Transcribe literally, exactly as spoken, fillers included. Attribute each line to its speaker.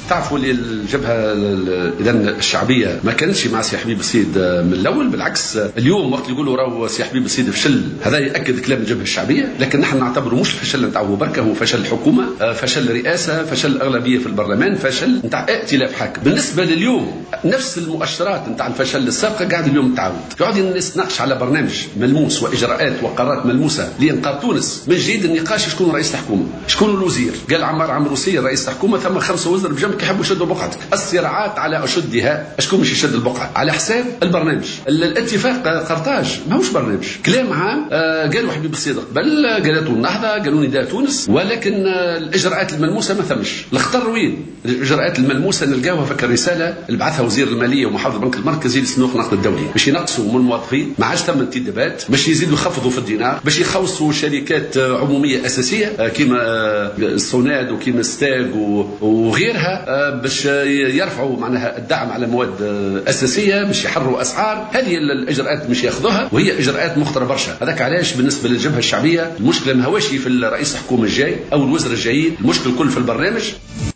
Speaker 1: تعرفوا اللي الجبهة اذا الشعبية ما كانتش مع سي حبيب الصيد من الاول، بالعكس اليوم وقت يقولوا راهو سي حبيب الصيد فشل، هذا ياكد كلام الجبهة الشعبية، لكن نحن نعتبره مش فشل نتاعو بركة، هو فشل الحكومة، فشل الرئاسة، فشل الاغلبية في البرلمان، فشل نتاع ائتلاف حاكم. بالنسبة لليوم نفس المؤشرات نتاع الفشل السابقة قاعد اليوم تعاود، يقعد الناس تناقش على برنامج ملموس واجراءات وقرارات ملموسة لانقاذ تونس. من جديد النقاش شكون رئيس الحكومة؟ شكون الوزير؟ قال عمار عمروسيه رئيس الحكومة، ثم خمسة وزراء بجنبك يحبوا يشدوا بقعتك. الصراعات على اشدها، شكون مش يشد البقعة؟ على حساب البرنامج. الاتفاق قرطاج ماهوش برنامج، كلام عام آه قالوا حبيب الصيد قبل، قالته النهضة، قالوا نداء تونس، ولكن آه الاجراءات الملموسة ما ثمش. الخطر وين؟ الاجراءات الملموسة نلقاوها في الرسالة اللي بعثها وزير المالية ومحافظ البنك المركزي لصندوق النقد الدولي باش ينقصوا من الموظفين، ما عادش ثم انتدابات، باش يزيدوا يخفضوا في الدينار، باش يخوصوا شركات عموميه اساسية كيما الصوناد وكيما ستاغ وغيرها، باش يرفعوا معناها الدعم على مواد اساسية، باش يحرروا اسعار. هذه الاجراءات مش ياخذوها، وهي اجراءات مخطره برشا. هذاك علاش بالنسبة للجبهه الشعبية المشكلة ما هوش في الرئيس الحكومة الجاي او الوزراء الجايين، المشكل الكل في البرنامج.